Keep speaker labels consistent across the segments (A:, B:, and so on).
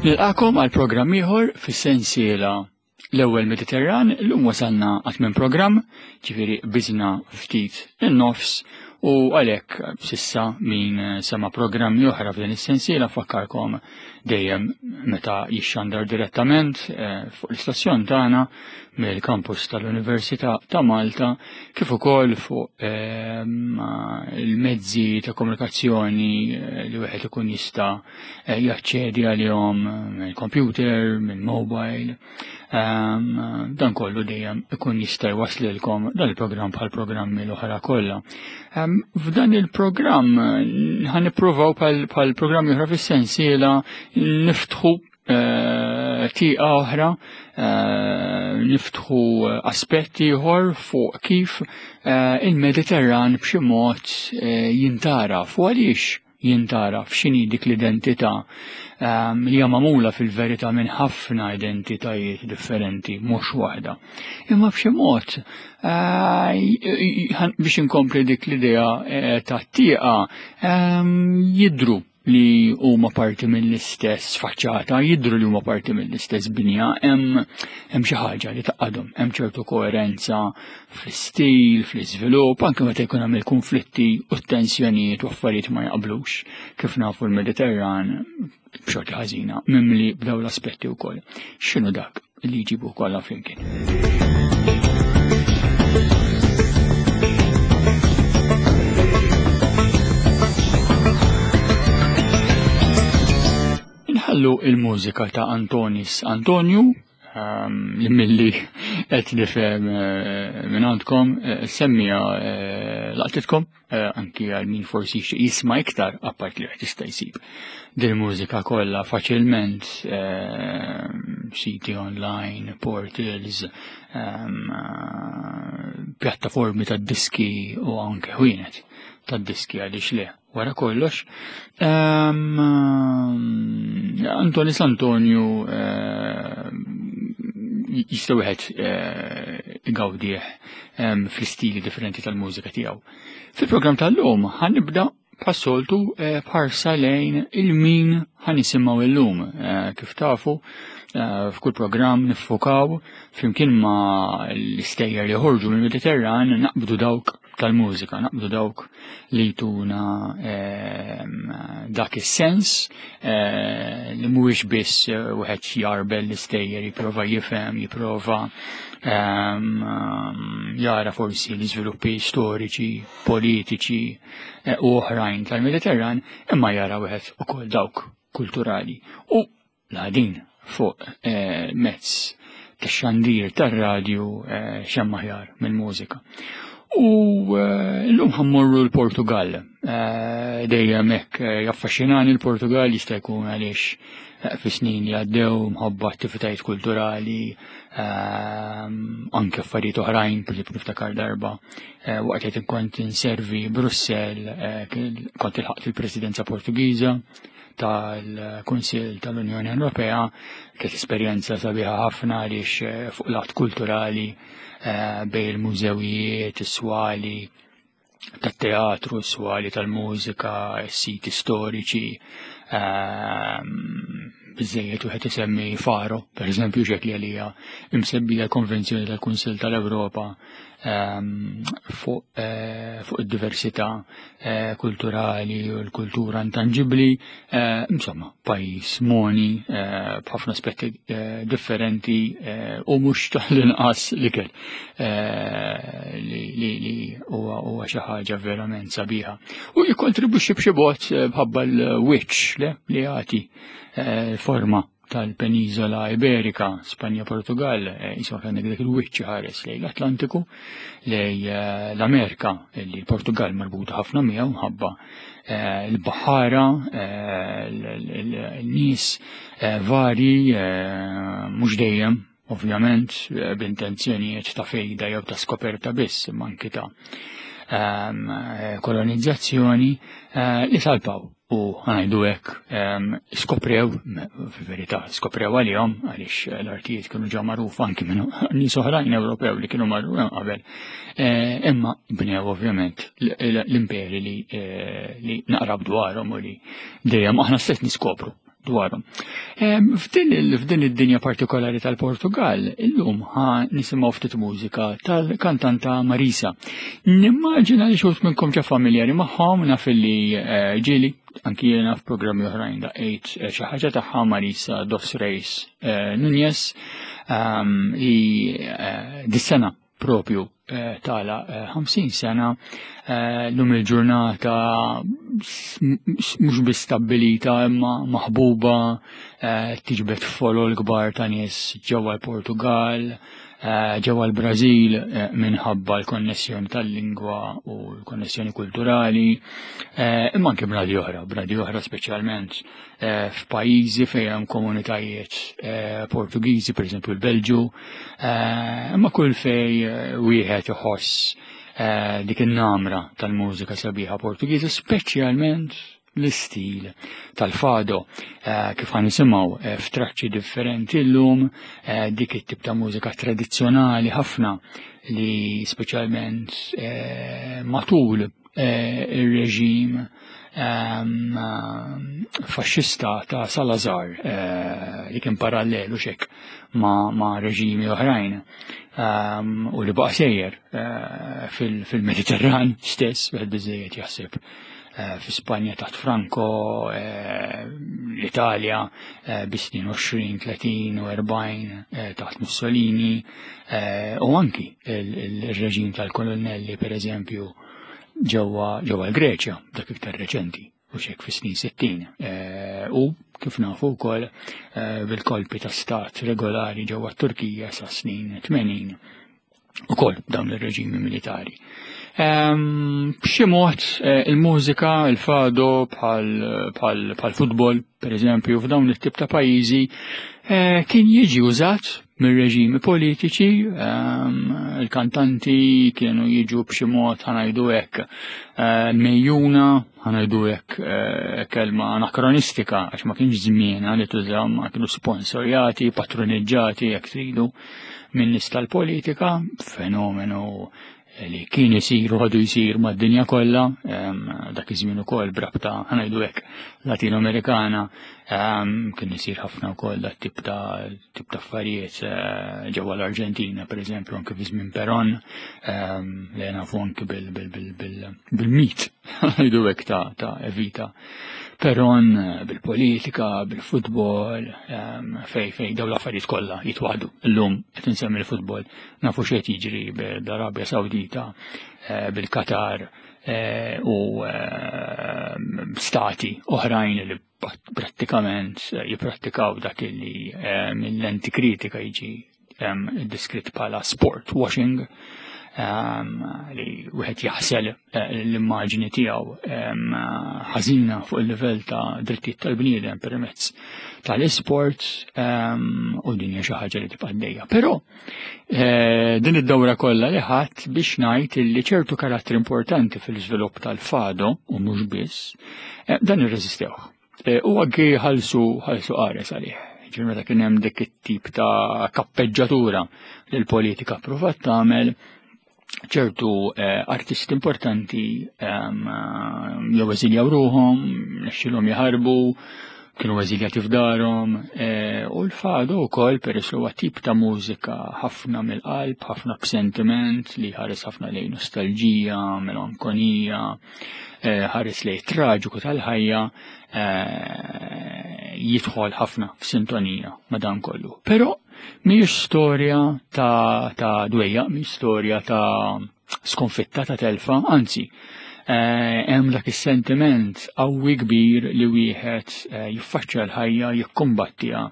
A: Nilqakom għal programm ieħor fis-sensiela l-ewwel Mediterran, llum wasalna għat minn programm, ġifieri biżna ftit in-nofs u għalhekk sissa min sema programmi oħra f'din is-sensiela fakkarkom dejjem meta jixxandar direttament eh, fuq l-istazzjon tagħna mill-kampus tal-Università ta' Malta kif ukoll fuq ehm, il-mezzi ta' komunikazzjoni eh, li wieħed ikun jista' eh, jaċċedi għalihom mill-computer, mill-mobile. Ehm, dan kollu dejjem ikun jista' jwaslilkom dan il-programm bħal programmi l-oħra kollha. Ehm, f'dan il-programm ħan nippruvaw bħal programmi oħra fis-sensiela niftħu eh, tieqa oħra, eh, niftħu aspetti ieħor fuq kif eh, il-Mediterran b'xi mod jintara fuq għaliex jintgħaraf x'inhi dik l-identità ehm, li hija magħmula fil-verità minn ħafna identitajiet differenti, mhux waħda. Imma b'xi mod eh, biex inkompli dik l-idea eh, ta' tieqa ehm, jidru li huma parti mill-istess faċċata, jidru li huma parti mill-istess binja, hemm xi ħaġa li taqadhom, hemm ċertu koerenza fl-istil, fl-iżvilupp, anke meta jkun hemm il-kunflitti u t-tensjonijiet u affarijiet ma jaqblux, kif nafu l-Mediterran b'xorti ħażina mimli b'dawn l-aspetti wkoll. X'inhu dak li jġibu kollha flimkien? Inħallu il-mużika ta' Antonis Antonio Ehm, li milli qed nifhem eh, minn għandkom eh, semmija eh, laqtitkom anki għal min forsi jixtieq jisma' iktar apart li qed jista' jsib din mużika kollha faċilment ehm, siti online, portals, ehm, pjattaformi tad-diski u anke ħwienet tad-diski għaliex le. Wara kollox, ehm, Antonis Antonio ehm, jista' wieħed eh, igawdih ehm, fl-istili differenti tal-mużika tiegħu. Fil-programm tal-lum ħanibda bħas-soltu eh, b'ħarsa lejn il-min ħanisimgħu illum. Eh, kif tafu, f'kull programm niffukaw flimkien ma' l-istejjer li joħorġu mill-Mediterran naqbdu dawk tal-mużika, naqbdu dawk li jtuna ehm, dak is-sens eh, li mhuwiex biss eh, wieħed jarbel l-istejjer, jipprova jifhem, jipprova ehm, jara forsi l-iżviluppi storiċi, politiċi eh, u oħrajn tal-Mediterran, imma jara wieħed ukoll dawk kulturali. U L-għadin fuq eh, mezz ta' xandir tar-radju eh, xemm aħjar mill-mużika. U eh, l-lum ħammorru l-Portugal. Dejjem hekk jaffaxxinani l-Portugal jista' jkun għaliex fi snin li għaddew mħabba attivitajiet kulturali, anke affarijiet oħrajn, per niftakar darba waqt li kont inservi Brussell, kont ilħaqt il-Presidenza Portugiża tal-Kunsill tal-Unjoni Ewropea, kienet esperjenza sabiħa ħafna għaliex eh, fuq l-att kulturali eh, bej il-mużewijiet, is-swali tat-teatru, s-swali tal-mużika, s-siti storiċi, ehm, biżejjed wieħed isemmi Faro, per eżempju, ġek li għalija imsemmija l-Konvenzjoni tal-Kunsill tal-Ewropa Ehm, fuq eh, fuq id-diversità eh, kulturali u l-kultura intangibbli, eh, insomma, pajjiż moni b'ħafna aspetti differenti u mhux tal-inqas l-ikel li huwa xi ħaġa verament sabiħa. U jikkontribwixxi b'xi mod bħabba l-wiċċ li jagħti forma tal-Peniżola Iberika, Spanja, Portugal, eh, jisma għandek dak il-wiċċ ħares lejn l-Atlantiku, lej eh, l-Amerika, li l-Portugal marbuta ħafna miegħu mħabba eh, l-baħara, l-nies vari, mhux dejjem, ovvjament, b'intenzjonijiet ta' fejda jew ta' skoperta biss, imma anki ta' ehm, kolonizzazzjoni li salpaw u għajdu hekk ehm, skoprew, fil-verità, skoprew għalihom għaliex l-artijiet kienu ġa magħrufa anki minn nies oħrajn Ewropew li kienu marru qabel. Eh, imma bnew ovvjament l-imperi li eh, naqrab dwarhom u li dejjem aħna stess niskopru. dwarhom. F'din id-dinja partikolari tal-Portugal, illum ħa nisimgħu ftit mużika tal-kantanta Marisa. Nimmaġina li xut minnkom ġa familjari magħhom naf li eh, ġieli anki jiena f'programmi oħrajn daqqiet eh, xi ħaġa tagħha Marisa Dos Reis eh, Nunez ehm, li dis-sena propju eh, tala 50 eh, sena eh, lum il-ġurnata mhux biss stabbilita imma maħbuba tiġbed folol kbar ta' nies ġewwa l-Portugal, ġewwa l-Brażil minħabba l-konnessjoni tal-lingwa u l-konnessjoni kulturali, imma anke bnadi oħra, bnadi oħra speċjalment Eh, f'pajjiżi fejn hemm komunitajiet eh, Portugiżi, pereżempju l-Belġu, eh, imma kull fej wieħed iħoss dik in-namra tal-mużika sabiħa Portugiża, speċjalment l-istil tal-fado kif għan nisimaw f'traċċi differenti l-lum dik it-tip ta' mużika tradizzjonali ħafna li speċjalment matul ir-reġim ehm, faxxista ta' Salazar eh, li kien parallelu xek ma', ma reġimi oħrajn ehm, u li baqa' sejjer eh, fil-Mediterran stess, wieħed biżejjed jaħseb eh, fi Spanja taħt Franco, l-Italja bi snin 20, 30 u 40 taħt Mussolini u anki il-reġim tal-kolonnelli per eżempju ġewwa ġewwa l-Greċja dak iktar reċenti u xek fis-snin 60. Eh, u kif nafu wkoll eh, bil-kolpi ta' stat regolari ġewwa t-Turkija sa snin 80 ukoll dawn ir-reġimi militari. Ehm, b'xi mod eh, il-mużika, il-fado bħal futbol, per eżempju, f'dawn it-tip ta' pajjiżi kien jiġi użat mir-reġimi politiċi, ehm, il-kantanti kienu jiġu b'xi mod ħanajdu hekk eh, mejjuna, ħanajdu hekk eh, kelma anakronistika għax ma kienx żmien li tuża ma kienu sponsorjati, patroniġġati jekk tridu minn nies tal-politika, fenomenu li kien isir u għadu jisir mad-dinja kollha, dak iż-żmien ukoll brabta ħanajdu hekk Latino-Amerikana, kien isir ħafna wkoll dat tip ta' tip ta' affarijiet eh, ġewwa l-Arġentina, pereżempju anke fi żmien Peron, li nafu anke bil-mit ħanajdu hekk ta' Evita. Peron eh, bil-politika, bil-futbol, fej fej dawn l-affarijiet kollha jitwaħdu. Illum qed insemmi l-futbol Nafu x'qed jiġri bl-Arabja Sawdita, eh, bil-Qatar eh, u eh, stati oħrajn li prattikament jipprattikaw dak li mill-lenti kritika jiġi diskrit bħala sport washing li wieħed jaħsel l-immaġni tiegħu ħażina fuq il-livell ta' drittijiet tal-bniedem permezz tal-isport u din hija xi ħaġa li tibqa' għaddejja. Però eh, din id-dawra kollha li ħadd biex ngħid li ċertu karattri importanti fil-iżvilupp tal-fado u mhux biss eh, dan irreżistewh. Eh, u anki ħalsu ħalsu qares għalih. Ġifieri meta kien hemm dik it-tip ta' kappeġġatura li l-politika provat tagħmel ċertu eh, artisti importanti ehm, jew eżiljaw ruhom, nexxilhom jaħarbu, kienu eżiljati f'darhom, eh, u l-fado wkoll peress li huwa tip ta' mużika ħafna mill-qalb, ħafna b'sentiment li ħares ħafna lejn nostalġija, melankonija, eh, ħares lejn traġiku tal-ħajja, jidħol ħafna f'sintonija ma' dan kollu. Però Mhijiex storja ta', ta dwejjaq, mhijiex storja ta' skonfitta ta' telfa, anzi, eh, hemm dak is-sentiment qawwi kbir li wieħed eh, jiffaċċja l-ħajja, jikkumbattiha.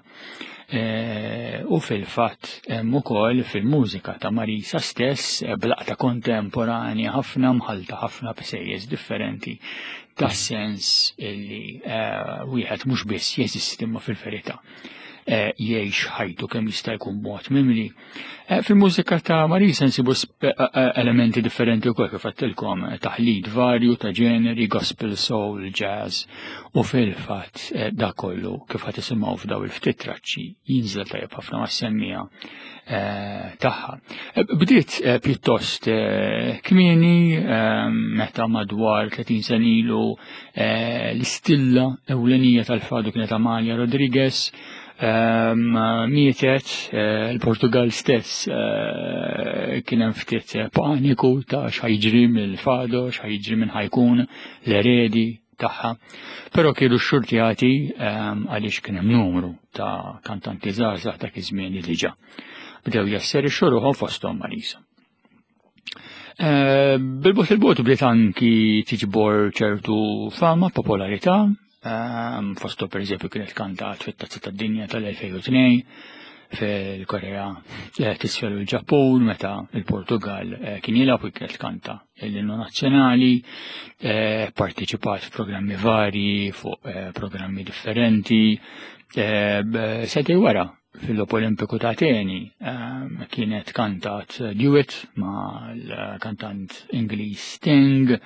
A: Eh, u fil-fatt hemm ukoll fil-mużika ta' Marisa stess blaqta kontemporanja ħafna mħalta ħafna b'sejjes differenti tas sens li wieħed mhux biss jeżisti imma fil-verità. jgħix ħajtu kemm jista' jkun mod mimli. Fil-mużika ta' Marisa nsibu elementi differenti wkoll kif għedtilkom, taħlit varju ta' ġeneri, gospel, soul, jazz u fil-fatt da kollu kif ħad tisimgħu f'daw il-ftit traċċi jinżel tajjeb ħafna mas-semmija tagħha. Bdiet pjuttost kmieni meta madwar 30 sena ilu l-istilla ewlenija tal-fadu kienet Amalia Rodriguez, mietet il-Portugal stess kien hemm ftit paniku ta' x'ħajġri mill-fado, x'ħajġri minn ħajkun l-eredi tagħha. Però kienu xxurtjati għaliex kien hemm numru ta' kantanti żgħażagħ dak iż-żmien li diġà bdew jasserixxu ruħhom fosthom Marisa. Bil-bot il-bot bdiet anki tiġbor ċertu fama, popolarità, fostu per eżempju kienet kantat fit-Tazza tad-Dinja tal-2002 fil-Korea tisfel u l-Ġappun meta il-Portugal kien jilgħab u kienet kanta l-innu nazzjonali, partiċipat f'programmi varji fuq programmi differenti. Sentej wara fil-Logħob Olimpiku ta' Ateni kienet kantat duet ma' l-kantant Ingliż Sting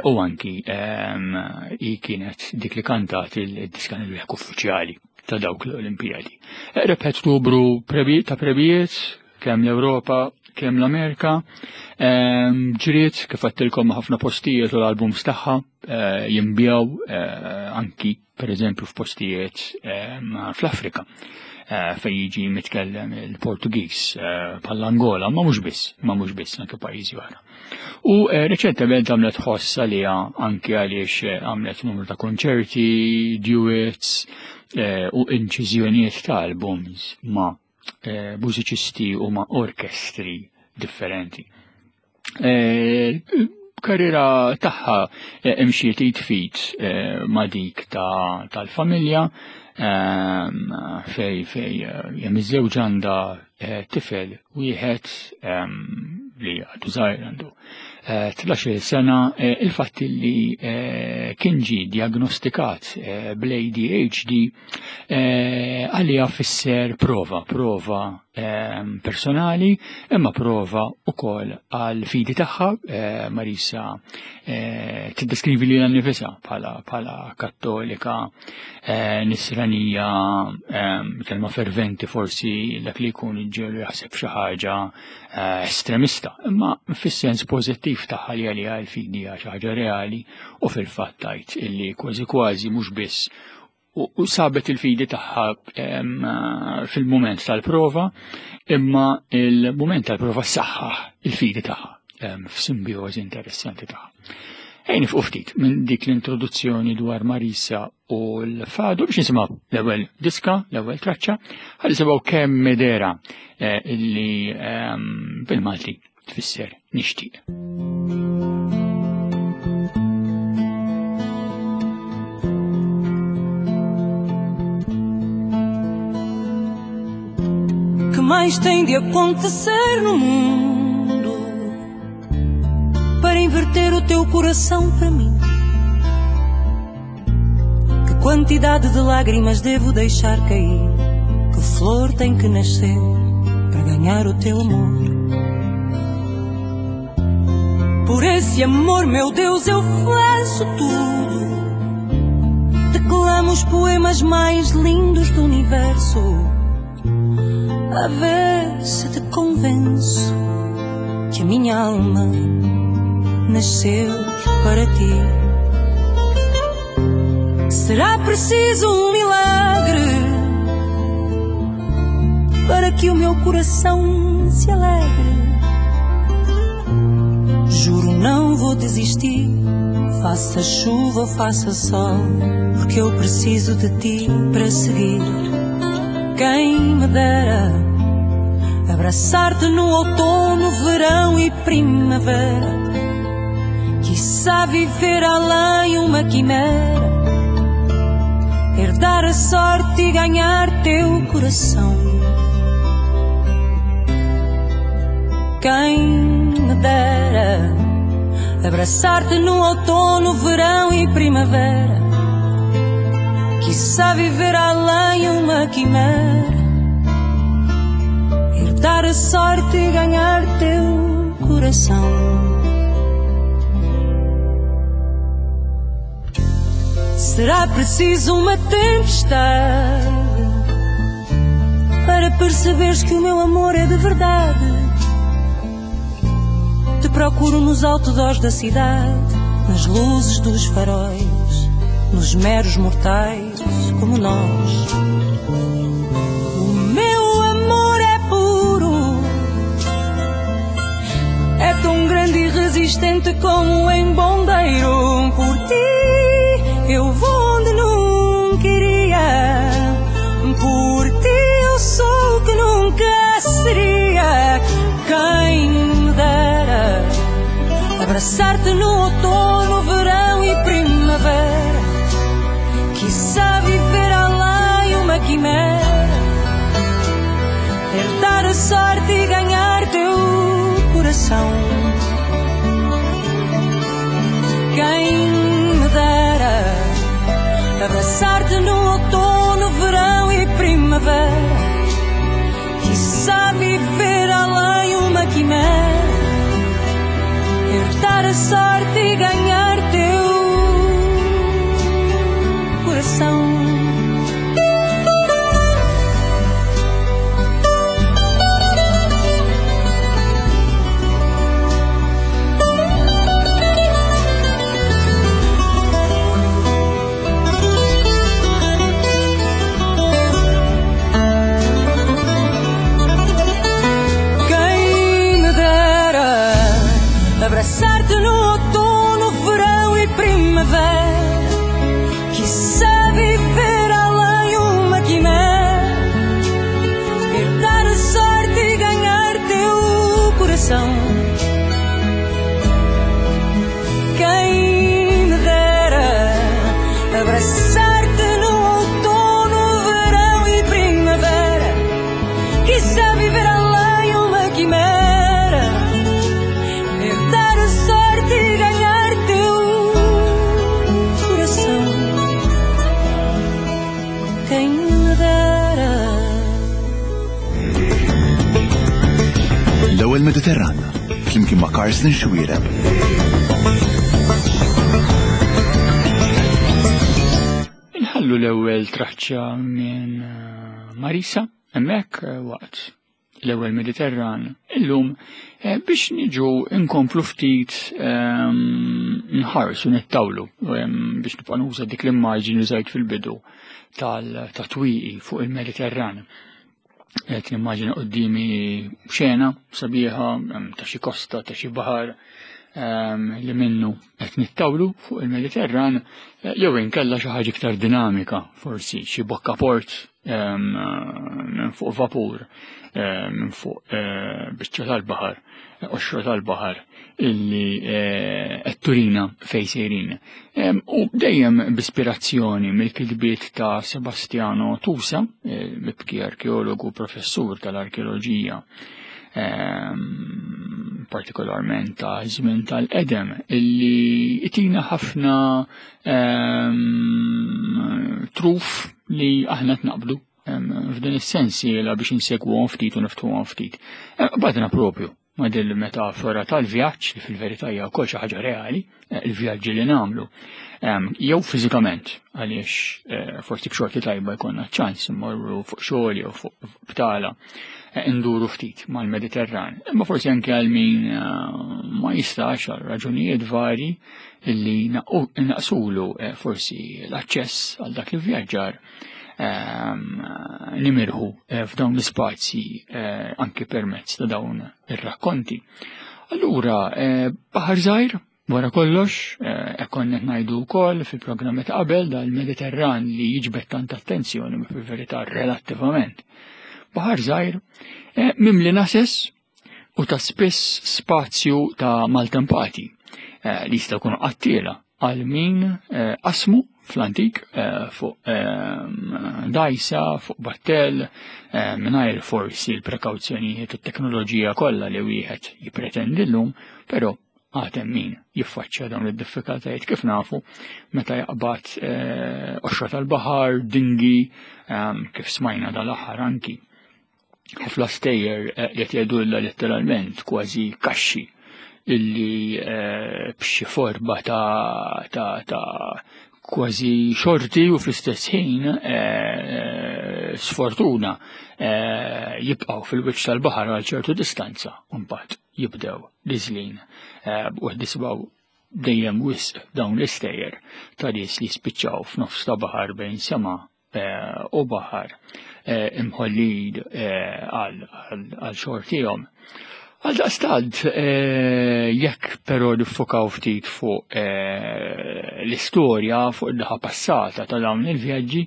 A: u anki hi kienet dik li kantat il-diska nil-wieħed uffiċjali ta' dawk l-Olimpijadi. Rebħet numru ta' prebijiet kemm l-Ewropa, kemm l-Amerika, ġriet kif għedtilkom ħafna postijiet u l-albums tagħha jinbjaw anki per eżempju f'postijiet fl-Afrika fejn jiġi mitkellem il-Portugiż bħall-Angola, ma mhux biss, ma mhux biss anke pajjiżi oħra. U reċentement għamlet ħoss għaliha anke għaliex għamlet numru ta' konċerti, duets u inċiżjonijiet ta' albums ma' mużiċisti u ma' orkestri differenti. Karriera tagħha imxiet id fit ma' dik tal-familja fej fej hemm iż-żewġ għandha tifel wieħed li għadu żgħir għandu 13 sena, il-fatt li kien ġie diagnostikat bl-ADHD għalija fisser prova, prova personali, imma prova wkoll għal fidi tagħha. Marisa tiddeskrivi lilha nnifisha bħala kattolika, nisranija, kelma ferventi forsi dak li jkun ġelu jaħseb xi ħaġa estremista, imma fis-sens pożittiv tagħha li għaliha l-fidi hija xi ħaġa reali u fil-fatt tgħid illi kważi kważi mhux biss u sabet il-fidi tagħha fil-mument tal-prova, imma il-mument tal-prova saħħaħ il-fidi tagħha f'simbjożi interessanti tagħha. Ejn nifqu ftit minn dik l-introduzzjoni dwar Marisa u l-Fadu biex nisimgħu l-ewwel diska, l-ewwel traċċa, ħalli nisimgħu kemm medera illi bil-Malti tfisser nixtieq.
B: Que mais tem de acontecer no mundo para inverter o teu coração para mim? Que quantidade de lágrimas devo deixar cair? Que flor tem que nascer para ganhar o teu amor? Por esse amor, meu Deus, eu faço tudo. Declamo os poemas mais lindos do universo, a ver se te convenço que a minha alma nasceu para ti. Será preciso um milagre para que o meu coração se alegre. Juro, não vou desistir, faça chuva ou faça sol, porque eu preciso de ti para seguir. Quem me dera abraçar-te no outono, verão e primavera, quiçá viver além uma quimera, herdar a sorte e ganhar teu coração. Quem me dera abraçar-te no outono, verão e primavera, Quiçá viver além uma quimera, herdar a sorte e ganhar teu coração. Será preciso uma tempestade para perceberes que o meu amor é de verdade. Te procuro nos outdoors da cidade, nas luzes dos faróis, nos meros mortais como nós. O meu amor é puro, é tão grande e resistente como um embondeiro. Por ti eu vou onde nunca iria, por ti eu sou o que nunca seria. Quem me dera abraçar-te no outono, verão e primavera. Quiçá viver além uma quimera, herdar a sorte e ganhar teu coração. Quem me dera abraçar-te no outono, verão e primavera. Quiçá viver além uma quimera, herdar a sorte e ganhar teu coração. Quem me dera abraçar-te no outono, verão e primavera. Quiçá viver além uma quimera, herdar a sorte e ganhar teu coração. Quem me dera abraçar-te no outono, verão e primavera. Quiçá viver além uma quimera, herdar a sorte e ganhar teu coração. Quem me dera.
C: L-ewwel Mediterran, flimkien ma' Carsten Xuereb.
A: Inħallu l-ewwel traċċa minn Marisa hemmhekk waqt l-ewwel Mediterran illum biex niġu nkomplu ftit nħarsu nittawlu biex nibqa' nuża dik l-immaġni li użajt fil-bidu tal-twieqi fuq il-Mediterran. Qed nimmaġina quddiemi xena sabiħa ta' xi kosta, ta' xi baħar li minnu qed nittawlu fuq il-Mediterran, jew inkella xi ħaġa iktar dinamika, forsi xi bokkaport minn fuq vapur, minn fuq biċċa tal-baħar, qoxra tal-baħar illi qed turina fejn sejrin. U dejjem b'ispirazzjoni mill-kitbiet ta' Sebastiano Tusa, mibki arkeologu, professur tal-arkeoloġija, partikolarment ta' żmien tal-qedem, illi itina ħafna truf li aħna tnaqbdu f'din is-sensiela biex insegwuhom ftit u niftuhom ftit. Badna propju ma' din il-metafora tal-vjaġġ li fil-verità hija wkoll xi ħaġa reali, il-vjaġġi li nagħmlu, jew fiżikament għaliex forsi b'xorti tajba jkollna ċans immorru fuq xogħol jew fuq btala, nduru ftit mal-Mediterran. Imma forsi anke għal min ma jistax għal raġunijiet vari illi naqsulu forsi l-aċċess għal dak il-vjaġġar, nimirħu f'dawn l-ispazji anki permezz ta' dawn ir-rakkonti. Allura, baħar żgħir, wara kollox, hekk konna qed ngħidu wkoll fil-programmi ta' qabel dal-Mediterran li jiġbed tant attenzjoni ma fil-verità relattivament. Baħar żgħir, mimli nases u ta' spiss spazju ta' maltempati li jistgħu jkunu qattiela għal min qasmu fl-antik fuq dajsa, fuq battell, mingħajr forsi l-prekawzjonijiet u t-teknoloġija kollha li wieħed jippretendi llum, però Għad hemm min jiffaċċja dawn id-diffikultajiet kif nafu meta jaqbad eh, qoxra tal-baħar, dingi, ehm, kif smajna dal-aħħar anki. Ħafna stejjer eh, qed jgħidulna letteralment kważi kaxxi illi eh, b'xi forma ta' ta' ta' kważi xorti u fl-istess ħin eh, sfortuna jibqgħu fil-wiċċ tal-baħar għal ċertu distanza u mbagħad jibdew niżlin u nisimgħu dejjem wisq dawn l-istejjer ta' nies li spiċċaw f'nofs ta' baħar bejn sema Eh, u baħar eh, imħollin eh, għal xortihom. Għal daqstant, jekk però nifokaw ftit fuq l-istorja, fuq id-daħa passata ta' dawn il-vjaġġi,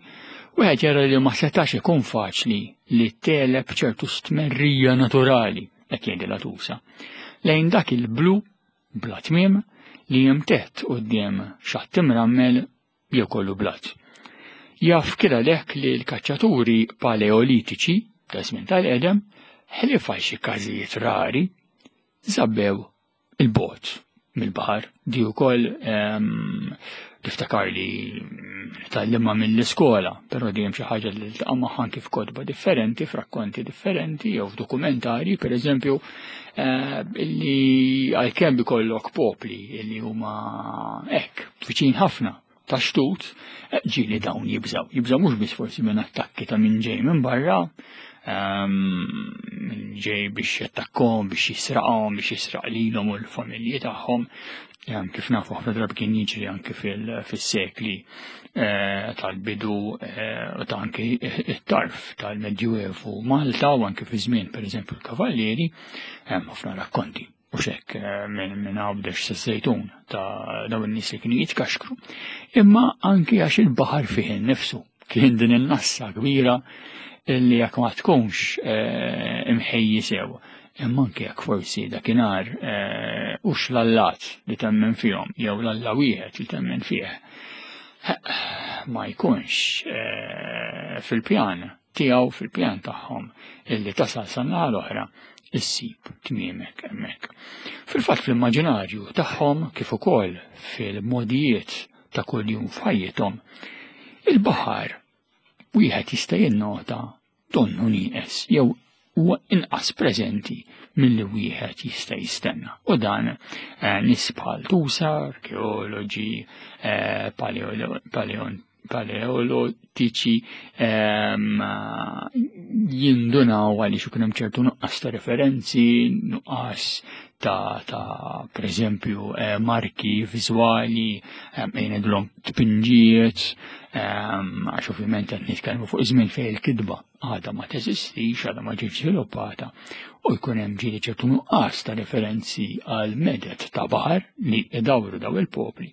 A: wieħed jara li ma setax ikun faċli li teleb ċertu stmerrija naturali, qed jgħidilha tusa, lejn dak il-blu bla tmiem li jimtett quddiem xatt imrammel jew kollu blat. Jaf kien għalhekk li l-kaċċaturi paleolitiċi ta' żmien tal-qedem, ħlief għal xi każijiet rari, żabbew il-bogħod mill-baħar. Di wkoll ehm, tiftakar li tgħallimha mill-iskola, però di hemm xi ħaġa li tiltaqa' magħha anki f'kotba differenti, f'rakkonti differenti jew f'dokumentarji, pereżempju, eh, illi għalkemm ikollok popli illi huma hekk viċin ħafna ta' xtut, eh, ġieli dawn jibżaw. Jibżaw mhux biss forsi minn attakki ta' minn ġej minn barra, ehm, minn ġej biex jattakkom, biex jisraqhom, biex jisraq lilhom u l-familji tagħhom, ehm, kif nafu ħafna drabi kien jiġri anke fis-sekli eh, tal-bidu eh, u ta' anke it-tarf tal-Medjuevu Malta u anke fi żmien pereżempju l-Kavallieri, hemm ħafna rakkonti u xek eh, minn għawdex sa żejtun ta' dawn in-nies li kienu jitkaxkru, imma anki għax il-baħar fih innifsu kien din in-nassa kbira illi jekk ma tkunx eh, imħejji sew, imma anki jekk forsi dakinhar eh, hux l-allat li temmen fihom jew l-alla wieħed li temmen fih ma jkunx fil-pjan tiegħu fil-pjan tagħhom illi tasal sa l-oħra issib tmiemek hemmhekk. Fil-fatt fl-immaġinarju tagħhom kif ukoll fil-modijiet ta' kuljum f'ħajjithom, il-baħar wieħed jista' jinnota donnu nieqes jew huwa inqas preżenti milli wieħed jista' jistenna. U dan eh, nies bħal Tusa, arkeoloġi, eh, paleolitiċi ehm, jindunaw għaliex ikun hemm ċertu nuqqas ta' referenzi, nuqqas ta', ta per eżempju eh, marki viżwali, ehm, jgħidulhom tpinġijiet, ehm, għax ovvjament qed nitkellmu fuq żmien fejn il-kitba għadha ma teżistix, għadha ma ġietx żviluppata, u jkun hemm ġieli ċertu nuqqas ta' referenzi għal medet ta' baħar li idawru daw il-popli.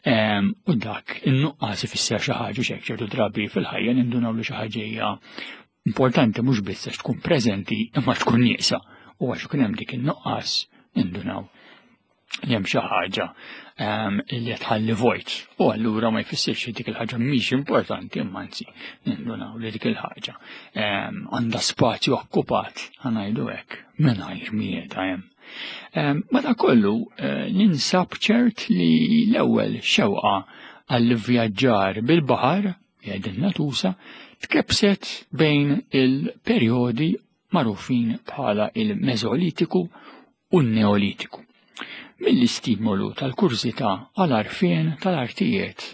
A: Ehm, u dak in-nuqqas ifisser xi ħaġa x'hekk ċertu drabi fil-ħajja nindunaw li xi ħaġa hija importanti mhux biss għax tkun preżenti imma tkun nieqsa u għax ikun hemm dik in-nuqqas nindunaw li hemm xi ħaġa ehm, li qed tħalli vojt. U allura ma jfissirx li dik il-ħaġa mhix importanti imma anzi nindunaw li dik il-ħaġa ehm, għandha spazju okkupat ħanajdu hekk mingħajr mieta hemm. Ehm, Madankollu eh, ninsab ċert li l-ewwel xewqa għall-vjaġġar bil-baħar jgħidilna tusa tkebbset bejn il-perjodi magħrufin bħala il-Meżolitiku u n-Neolitiku, mill-istimolu tal-kurżità għal għarfien tal-artijiet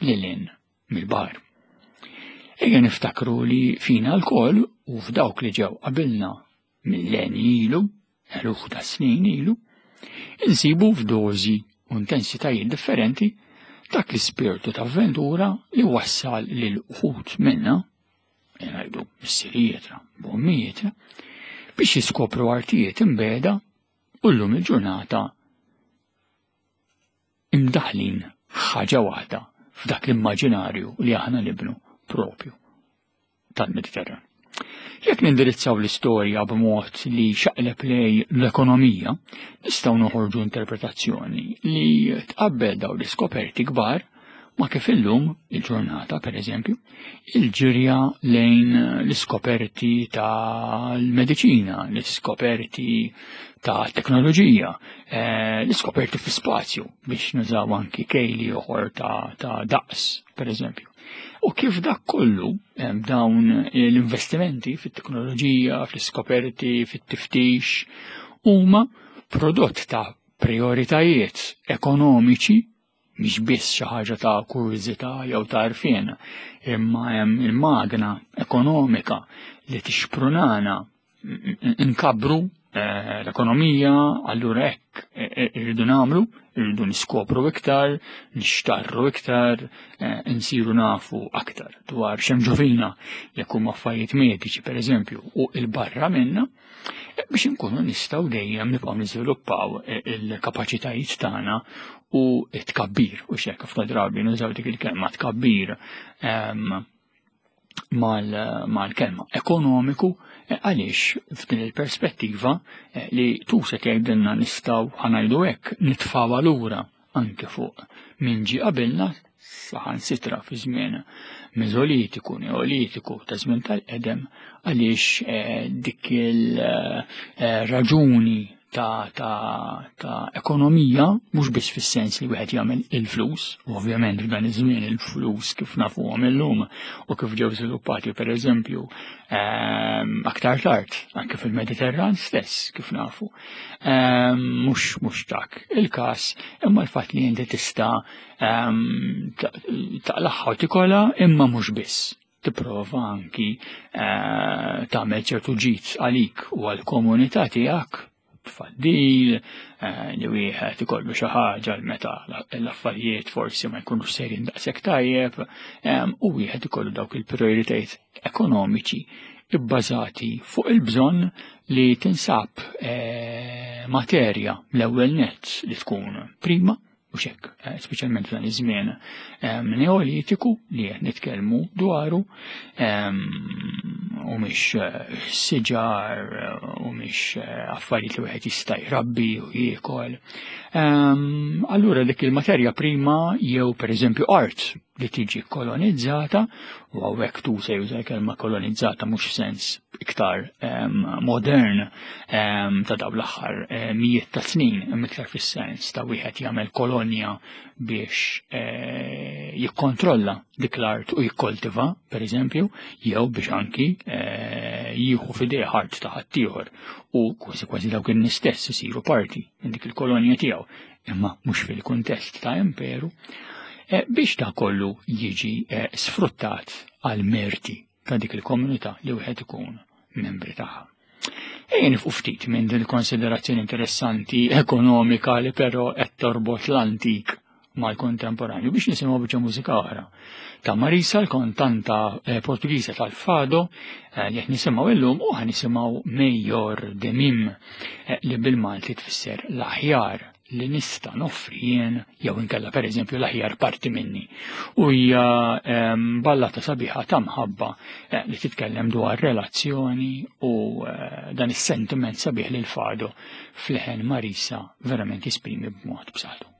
A: lil hinn mill-baħar. Ejja niftakru li fina lkoll u f'dawk li ġew qabilna millenji ilu, eluf ta' snin ilu, insibu f'dożi u intensitajiet differenti dak l-ispirtu ta' avventura li wassal lil uħud minna ngħidu missirijietna, b'ommijietna, biex jiskopru artijiet imbeda u llum il-ġurnata imdaħlin ħaġa waħda f'dak l-immaġinarju li aħna nibnu propju tal-Mediterran. Jekk nindirizzaw l-istorja b'mod li xaqleb lej l-ekonomija, nistgħu noħorġu interpretazzjoni li tqabbel dawn l-iskoperti kbar. ma' kif illum il-ġurnata, per eżempju, il-ġirja lejn l-iskoperti tal-mediċina, l-iskoperti ta' teknoloġija, eh, l-iskoperti fi spazju biex nużaw anki kejli oħor ta', ta daqs, per eżempju. U kif dak kollu dawn l-investimenti fit-teknoloġija, fl-iskoperti, fit-tiftix, huma prodott ta' prioritajiet ekonomiċi mhix biss xi ħaġa ta' kurżità jew ta' għarfien, imma hemm il-magna ekonomika li tixprunana nkabbru eh, l-ekonomija, allura hekk eh, eh, irridu nagħmlu, irridu niskopru iktar, nixtarru iktar, nsiru nafu aktar dwar x'hemm ġovina jekk huma affarijiet mediċi pereżempju u il-barra minna biex inkunu nistgħu dejjem nibqgħu niżviluppaw il-kapaċitajiet tagħna u tkabbir u xek ħafna drabi nużaw dik il-kelma tkabbir ehm, mal-kelma ekonomiku eh, għaliex f'din il-perspettiva eh, li tusa jgħidilna nistgħu ħanajdu hekk nitfgħu lura anke fuq min ġie qabilna saħansitra fi żmien Meżolitiku, Neolitiku, ta' żmien tal-qedem għaliex eh, dik il-raġuni eh, ta', ta, ta ekonomija mhux biss fis-sens li wieħed jagħmel il-flus, u ovvjament f'dan iż-żmien il-flus kif nafuhom illum u kif ġew żviluppati pereżempju aktar tard, anke fil-Mediterran stess kif nafu. Mhux mhux dak il-każ, imma l-fatt li inti tista' taqlaħħa u tikola imma mhux biss. Tipprova anki eh, tagħmel ċertu ġid għalik u għall-komunità tiegħek tfaddil, eh, li wieħed ikollu xi ħaġa l meta l-affarijiet forsi ma jkunux sejrin daqshekk tajjeb, u wieħed ikollu dawk il-prioritajiet ekonomiċi ibbażati fuq il-bżonn li tinsab eh, materja l-ewwel nett li tkun prima mhux hekk, eh, speċjalment f'dan iż-żmien ehm, neolitiku li qed nitkellmu dwaru ehm, u mhix eh, siġar u mhix affarijiet li wieħed jista' jrabbi u jiekol. Ehm, allura dik il-materja prima jew pereżempju art li tiġi kolonizzata, u hawnhekk tu se juża l-kelma kolonizzata mhux sens iktar modern ta' dawn l-aħħar mijiet ta' snin, imma iktar fis-sens ta' wieħed jagħmel kolonja biex eh, jikkontrolla dik l-art u jikkoltiva, per eżempju, jew biex anki eh, jieħu f'idejh art ta' ħaddieħor u kważi kważi dawk in-nies stess isiru parti minn dik il-kolonja tiegħu imma mhux fil-kuntest ta' imperu, eh, biex ta' kollu jiġi eh, sfruttat għal merti ta' dik il-komunità li wieħed ikun membri tagħha. Ejja nifqu ftit minn din il-konsiderazzjoni interessanti ekonomika li però qed torbot l-antik mal-kontemporanju biex nisimgħu biċċa mużika oħra. Ta' Marisa l-kontanta eh, Portugiża tal-Fado li qed nisimgħu illum u ħa nisimgħu Mejjor de Mim eh, li bil-Malti tfisser l-aħjar li nista' noffri jien jew inkella pereżempju l-aħjar parti minni. U hija ehm, ballata sabiħa ta' mħabba eh, li titkellem dwar relazzjoni u eh, dan is-sentiment sabiħ li l-fado fl-leħen Marisa verament jisprimi b'mod b'saħħtu.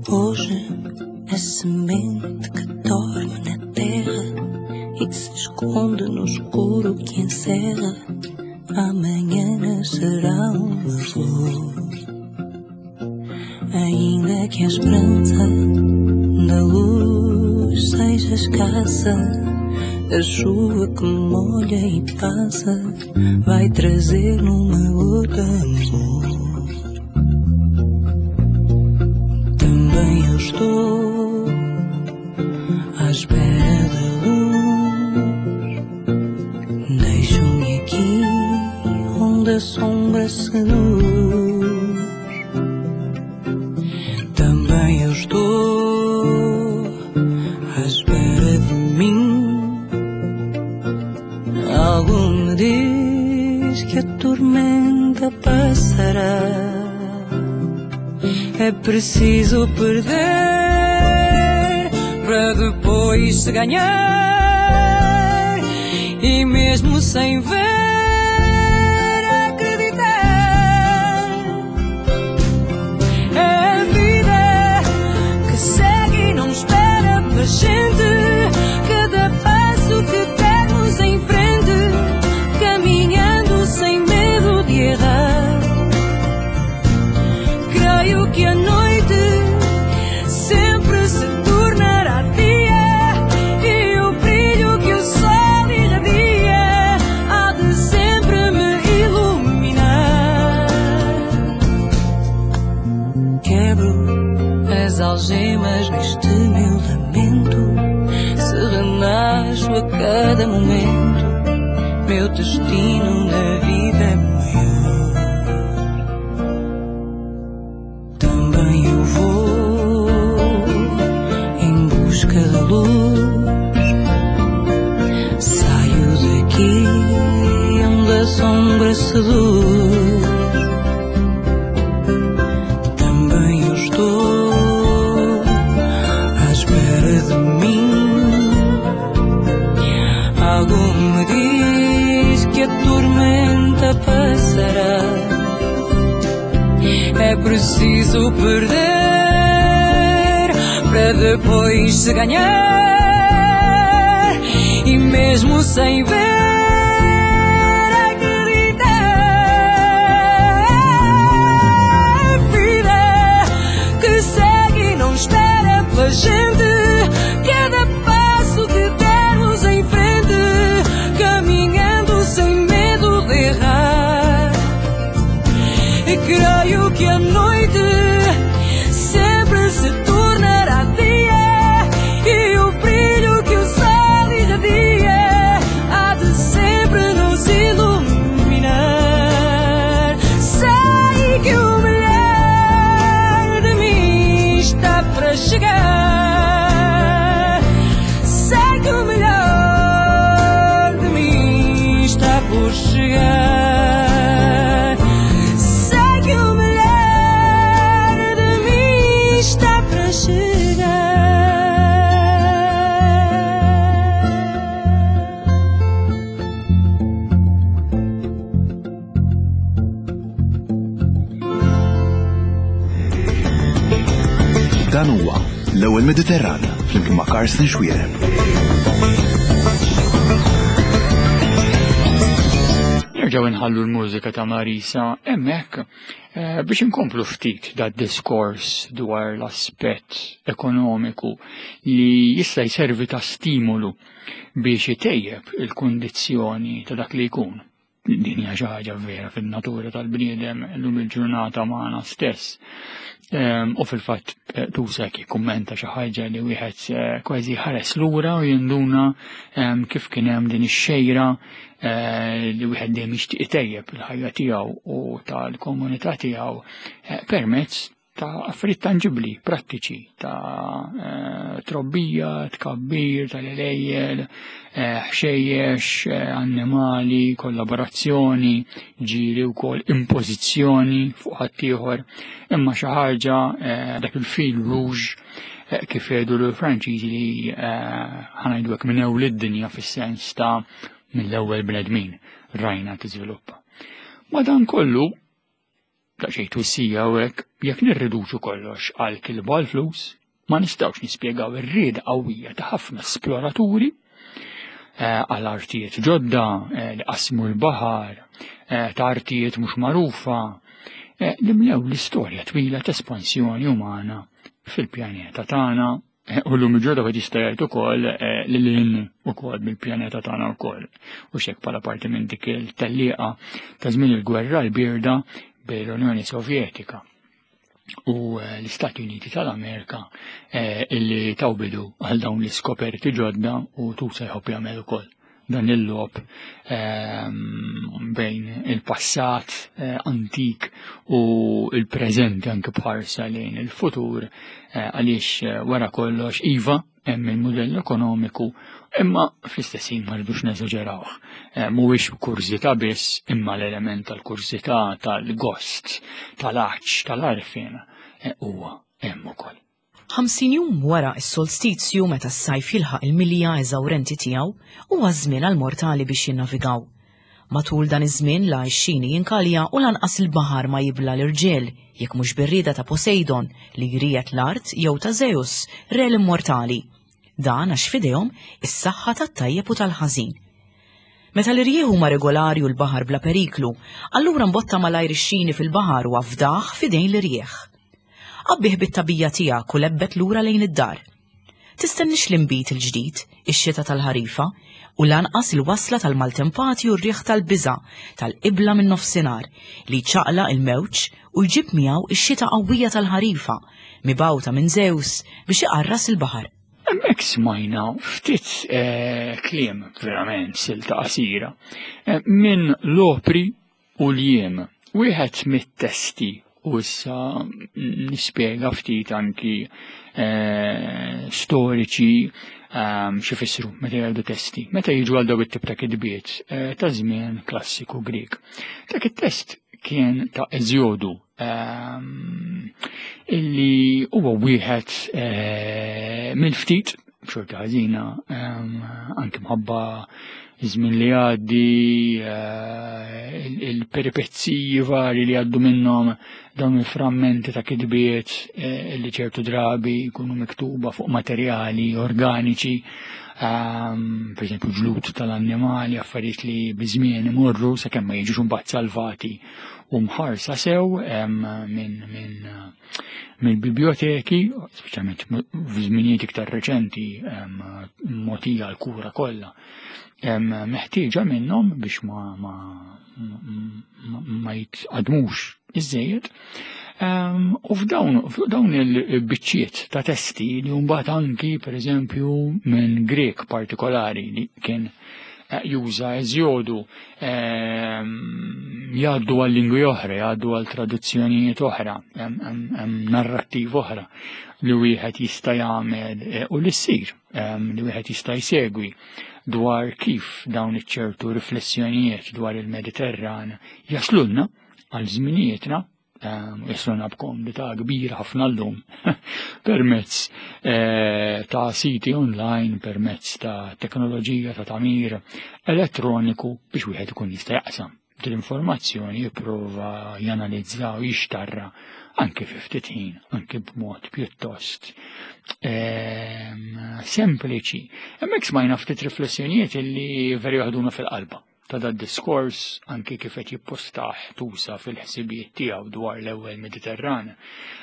B: Hoje a semente que dorme na terra e que se esconde no escuro que encerra, amanhã nascerá uma flor. Ainda que a esperança da luz seja escassa, a chuva que molha e passa vai trazer numa gota amor. Também eu estou à espera da luz. Deixo-me aqui onde a sombra seduz. Também eu estou à espera de mim. Algo me diz que a tormenta passará. É preciso perder Para depois se ganhar e mesmo sem ver acreditar. É a vida que segue e não espera pela gente. Cada passo que dermos em frente, caminhando sem medo de errar. Creio que a noite sempre se tornará dia e o brilho que o sol irradia há de sempre me iluminar. Quebro as algemas neste meu lamento, se renasço a cada momento, meu destino na vida é maior. Também eu vou em busca da luz. Saio daqui onde a sombra seduz. Também eu estou à espera de mim. Algo me diz que a tormenta passará. É preciso perder para depois se ganhar e mesmo sem ver acreditar. A vida que segue e não espera pela gente. Cada passo que dermos em frente, caminhando sem medo de errar. E creio que a noite sempre se tornará dia e o brilho que o sol irradia há de sempre nos iluminar. Sei que o melhor de mim está para chegar. Sei que o melhor de mim está por chegar. Sei que o melhor de mim está para chegar.
C: Dan huwa l-ewwel Mediterran flimkien ma' Carsten Xuereb.
A: Nerġgħu nħallu l-mużika ta' Marisa hemmhekk biex inkomplu ftit da' diskors dwar l-aspett ekonomiku li jista' jservi ta' stimolu biex itejjeb il-kundizzjoni ta' dak li jkun. Din hija xi ħaġa vera fin-natura tal-bniedem illum il-ġurnata magħna stess. U fil-fatt Tusek jikkummenta xi ħaġa li wieħed kważi ħares lura u jinduna kif kien hemm din ix-xejra li wieħed dejjem jixtieq itejjeb il-ħajja tiegħu u tal-komunità tiegħu permezz ta' affarijiet tanġibbli, prattiċi, ta' trobbija, tkabbir, tal-għelejjel, ħxejjex, annimali, kollaborazzjoni, ġieli wkoll impożizzjoni fuq ħaddieħor, imma xi ħaġa dak il-fil rouge kif jgħidu l-Franċiżi li ħanajdu hekk minn ewwel id-dinja fis-sens ta' mill-ewwel bnedmin rajna tiżviluppa. Madankollu, daqsxejn twissija hawnhekk, jekk nirriduċu kollox għal kilba għal flus, ma nistgħux nispjegaw ir-rieda qawwija ta' ħafna esploraturi għal artijiet ġodda li qasmu l-baħar, ta' artijiet mhux magħrufa, li mlew l-istorja twila ta' espansjoni umana fil-pjaneta tagħna. U l-lum il-ġurnata wieħed jista' jgħid ukoll li lil ukoll mill-pjaneta tagħna wkoll. U x'hekk bħala parti minn dik il-tellieqa ta' żmien il-gwerra l-bierda bejn l-Unjoni Sovjetika u l-Istati Uniti tal-Amerika illi taw bidu għal dawn l-iskoperti ġodda u Tusa jħobb jagħmel ukoll dan il-logħob bejn il-passat antik u il-preżenti anke bħarsa lejn il-futur għaliex wara kollox iva hemm il-mudell ekonomiku imma fl-istess ħin ma rridux neżaġerawh. Mhuwiex kurżità biss imma l-element tal-kurżità, tal-gost, tal-għatx, tal-għarfien huwa hemm ukoll.
D: 50 jum wara s-solstizju meta s-sajf jilħaq il-milja eżawrenti tiegħu, huwa ż-żmien għall-mortali biex jinnavigaw. Matul dan iż-żmien la x-xini jinkalja u lanqas il-baħar ma jibla' l-irġiel, jekk mhux bir-rieda ta' Poseidon li jriegħed l-art jew ta' Zeus, re l-immortali. Dan għax f'idejhom is-saħħa tat-tajjeb u tal-ħażin. Meta l-irjieħ huma regolari u l-baħar bla periklu, allura mbotta malajr ix-xini fil-baħar u afdah f'idejn l-irjieħ. Għabbih bit-tagħbija tiegħek u lebbet lura lejn id-dar. Tistennix l-inbid il-ġdid, ix-xita tal-ħarifa, u lanqas il-wasla tal-maltempati u r-riħ tal-biża' tal-qibla min-nofsinhar li jċaqlaq il-mewġ u jġib miegħu x-xita qawwija tal-ħarifa, mibgħuta minn Zeus biex iqarras il-baħar.
A: Hemmhekk smajna ftit eh, kliem verament silta qasira eh, minn l-opri u l-jiem. Wieħed mit-testi u issa nispjega ftit anki eh, storiċi ehm, xi fissru meta jgħidu testi, meta jiġu għal dawn it-tip ta' kitbiet eh, ta' żmien klassiku Grieg. Dak it-test kien ta' Eżjodu ehm, illi huwa wieħed eh, mill-ftit b'xorti ħażina ehm, anke mħabba iż-żmien li għaddi, eh, il-peripezziji vari li għaddu minnhom dawn il-frammenti ta' kitbiet eh, li ċertu drabi jkunu miktuba fuq materjali organiċi, ehm, per eżempju ġlut tal-annimali, affarijiet li biżmien imorru sakemm ma jiġux imbagħad salvati u mħarsa sew ehm, minn min, mill-biblioteki, speċjalment f'żminijiet iktar reċenti mogħtija l-kura kollha meħtieġa minnhom biex ma ma ma jitqadmux iżejjed. U f'dawn f'dawn il-biċċiet ta' testi li mbagħad anki pereżempju minn Grek partikolari li kien eh, juża eżjodu Ehm, jgħaddu għal lingwi oħra, jgħaddu għal traduzzjonijiet oħra, hemm narrattiv oħra li wieħed jista' jagħmel eh, u li ssir ehm, li wieħed jista' jsegwi dwar kif dawn iċ-ċertu riflessjonijiet dwar il-Mediterran jaslulna għal żminijietna Ehm, Jasluna b'komdità kbira ħafna llum permezz eh, ta' siti online, permezz ta' teknoloġija ta' tamir elettroniku biex wieħed ikun jista' jaqsam din l-informazzjoni jipprova janalizza u jixtarra anke fi ftit ħin, anke b'mod pjuttost ehm, sempliċi. Hemmhekk smajna ftit riflessjonijiet illi veru jaħduna fil-qalba. ta' dad-diskors anki kif qed jippostah Tusa fil-ħsibijiet tiegħu dwar l-ewwel Mediterran,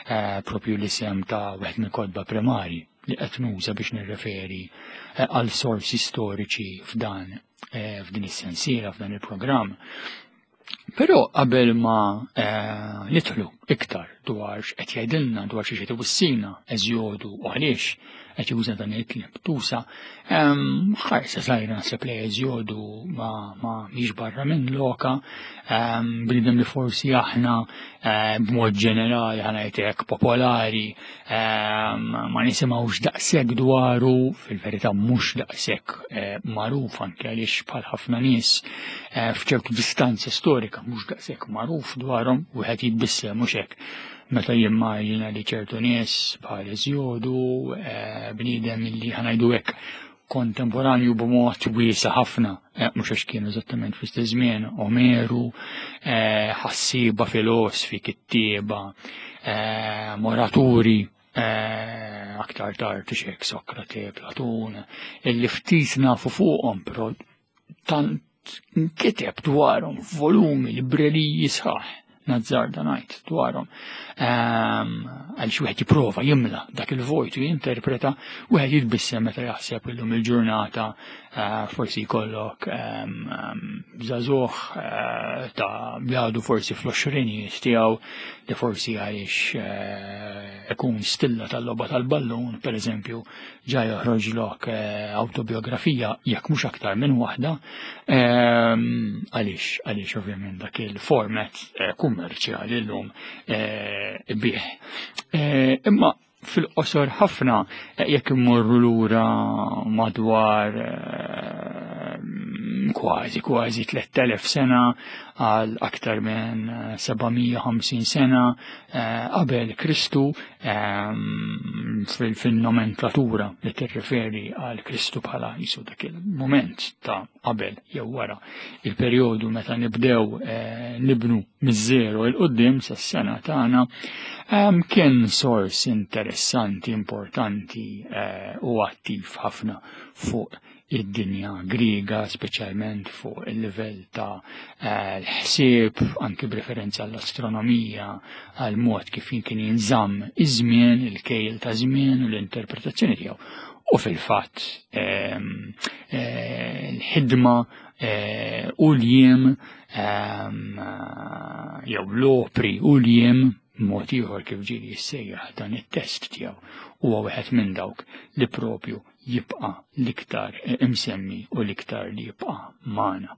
A: eh, propju l-isem ta' wieħed mill-kotba primarji li qed nuża biex nirreferi eh, għal sorsi storiċi f'dan eh, f'din is-sensiela f'dan il-programm. Però qabel ma nidħlu iktar dwar x'qed jgħidilna dwar xi qed iwissina Eżjodu u għaliex qed juża dan il-kliem tusa, ħarsa żgħira naħseb li Eżjodu ma ma mhix barra minn loka, bniedem li forsi aħna eh, b'mod ġenerali ħa ngħid popolari ma nisimgħux daqshekk dwaru, fil-verità mhux daqshekk eh, magħruf anke għaliex bħal ħafna nies eh, f'ċertu distanza storika mhux daqshekk magħruf dwarhom wieħed jitbissem mhux hekk meta jimmaġina li ċertu nies bħal Eżjodu, eh, bniedem li ħanajdu hekk kontemporanju b'mod wiesa ħafna, mhux għax kienu eżattament fl-istess żmien, Omeru, ħassieba filosfi, kittieba, moraturi, aktar tard xek Sokrate, Platun, illi ftit nafu fuqhom, però tant nkiteb dwarhom volumi libreriji sħaħ nazzarda ngħid dwarhom. Ehm, għaliex wieħed jipprova jimla dak il-vojt u jinterpreta, wieħed jitbissem meta jaħseb illum il-ġurnata eh, forsi jkollok ehm, ehm, żagħżugħ eh, ta' jgħadu forsi fl-għoxrinijiet tiegħu li forsi għaliex eh, ikun stilla tal-logħba tal-ballun, pereżempju, ġa joħroġlok eh, autobiografija jekk mhux aktar minn waħda, ehm, għaliex għaliex ovvjament dak il-format eh, kummerċjali llum eh, bih. Imma fil-qosor ħafna jekk immorru lura madwar kważi kważi 3000 sena għal aktar minn 750 sena eh, qabel Kristu ehm, fil-nomenklatura li tirriferi għal Kristu bħala jisu dak il-moment ta' qabel jew wara il-perjodu meta nibdew eh, nibnu miż-żero il qudiem sas-sena tagħna ehm, kien sors interessanti, importanti eh, u attiv ħafna fuq id-dinja Griega, speċjalment fuq il-livell ta' eh, l-ħsieb, anki b'referenza għall-astronomija, għal mod kif kien jinżamm iż-żmien, il-kejl ta' żmien u l-interpretazzjoni tiegħu. U fil-fatt ehm, eh, l-ħidma eh, u l-jiem ehm, jew l-opri u l-jiem mod ieħor kif ġieli jissejjaħ dan it-test tiegħu huwa wieħed minn dawk li propju jibqa' l-iktar imsemmi u l-iktar li jibqa' magħna.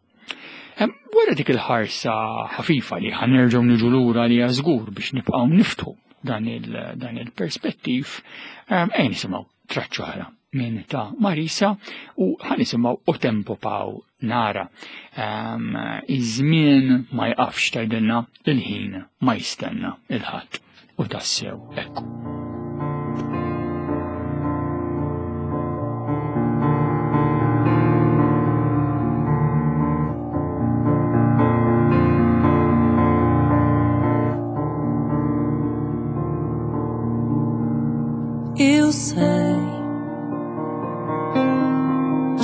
A: Wara dik il-ħarsa ħafifa li ħanerġgħu niġu lura li żgur biex nibqgħu niftħu dan il-perspettiv, ejn nisimgħu traċċa oħra minn ta' Marisa u ħanisimgħu O Tempo Paw Nara. Iż-żmien ma jqafx tgħidilna il-ħin ma jistenna il-ħadd u tassew ekku.
B: Eu sei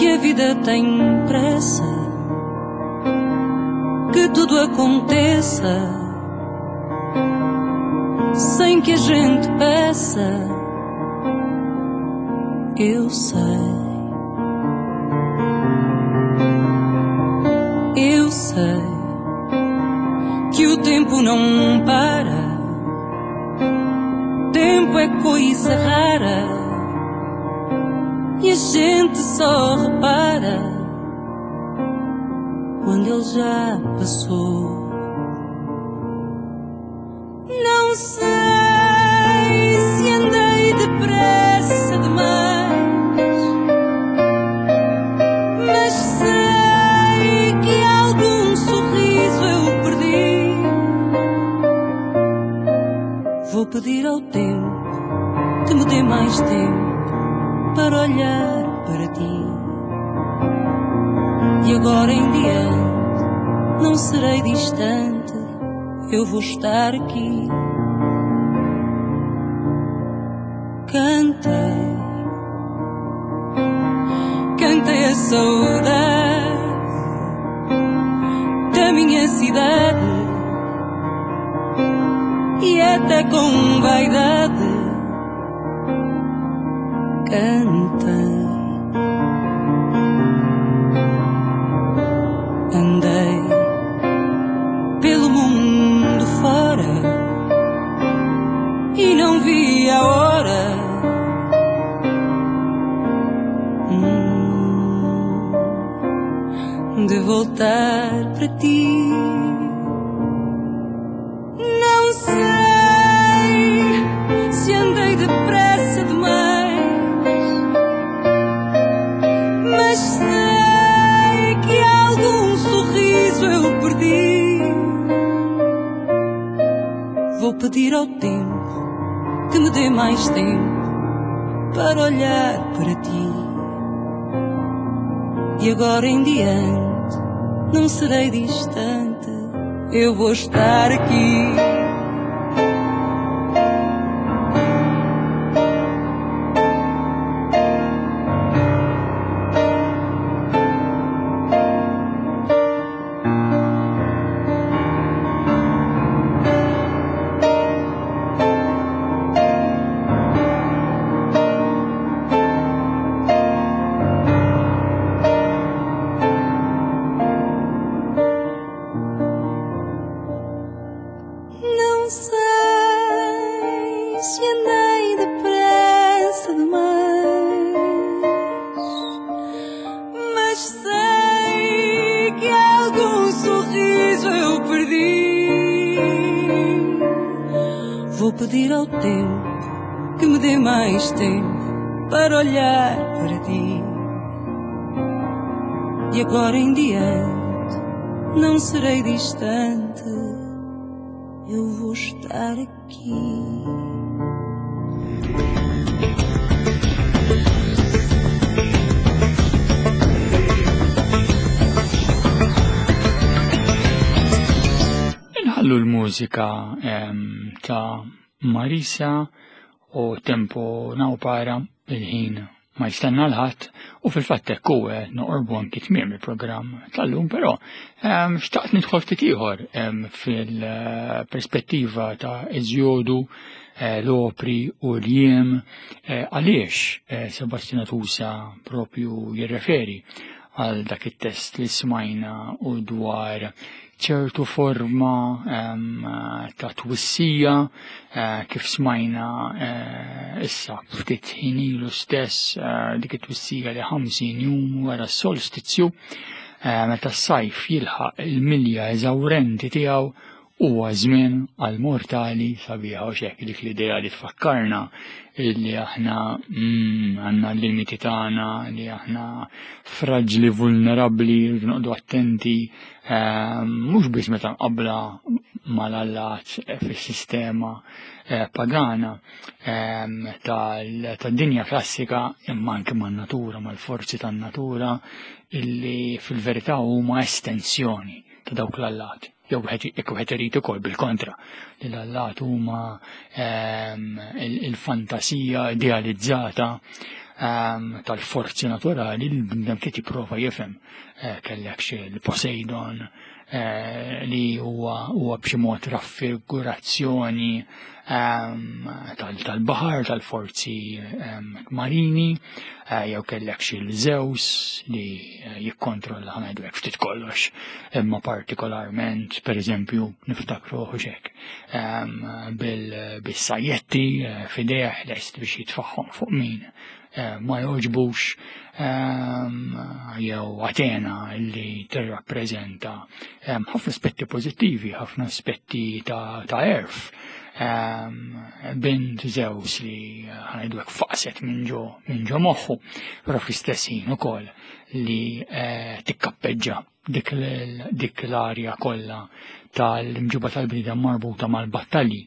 B: que a vida tem pressa, que tudo aconteça sem que a gente peça. Eu sei. Eu sei que o tempo não para. Tempo é coisa rara e a gente só repara quando ele já passou. Não sei se andei depressa demais, mas sei que algum sorriso eu perdi. Vou pedir ao tempo que me dê mais tempo para olhar para ti. E agora em diante não serei distante, eu vou estar aqui. Cantei, cantei a saudade da minha cidade e até com vaidade cantei. Andei pelo mundo fora e não vi a hora de voltar para ti. Não sei se andei depressa demais, mas sei que algum sorriso eu perdi. Vou pedir ao tempo que me dê mais tempo para olhar para ti. E agora em diante não serei distante, eu vou estar aqui. Não sei se andei depressa demais, mas sei que algum sorriso eu perdi. Vou pedir ao tempo que me dê mais tempo para olhar para ti. De agora em diante não serei distante. Eu vou estar aqui.
A: Inħallu l-mużika ta' Marisa u Tempo Nawpara il-ħin ma jistenna l-ħadd u fil-fatt hekk hu eh, noqorbu anki tmiem il-programm tal-lum, però ehm, xtaqt nidħol ftit ieħor ehm, fil-perspettiva ta' Eżjodu, eh, l-opri u l-jiem eh, għaliex Sebastian Tusa propju jirreferi għal dak it-test li smajna u dwar ċertu forma ta' twissija eh, kif smajna eh, issa ftit ħin ilu stess eh, dik it-twissija li 50 jum wara s-solstizju meta s-sajf jilħaq il-milja eżawrenti tiegħu huwa żmien għal mortali sabiħa u xek dik l-idea li tfakkarna illi aħna mm, għandna l-limiti tagħna li aħna fraġli vulnerabbli rridu noqogħdu attenti ehm, mhux biss meta nqabbla mal-allat fis-sistema eh, pagana ehm, tad-dinja klassika imma anke man-natura, mal-forzi tan-natura illi fil-verità huma estensjoni ta' dawk l-allat. Jew jekk wieħed irid ukoll bil-kontra li l-allat huma ehm, il-fantasija idealizzata ehm, tal-forzi naturali li l-bnedem trid jipprova jifhem. Eh, kellek xi l-Poseidon eh, li huwa b'xi mod raffigurazzjoni ehm, tal-baħar, tal-forzi marini, eh, jew kellek xi l-Zeus li jikkontrolla ħanajdu hekk ftit kollox, imma partikolarment, per eżempju, niftakru xek, ehm, bil-sajjetti eh, fideh lest biex jitfaħħom fuq min eh, ma joġbux ehm, jew Atena li tirrappreżenta ehm, ħafna aspetti pożittivi, ħafna aspetti ta' erf. Bint Zeus li eh, ħanajdu hekk faqset minn ġo minn ġo moħħu, però fl-istess ħin ukoll li eh, tikkappeġġa dik l-arja kollha tal-imġiba tal-bniedem marbuta mal-battalji.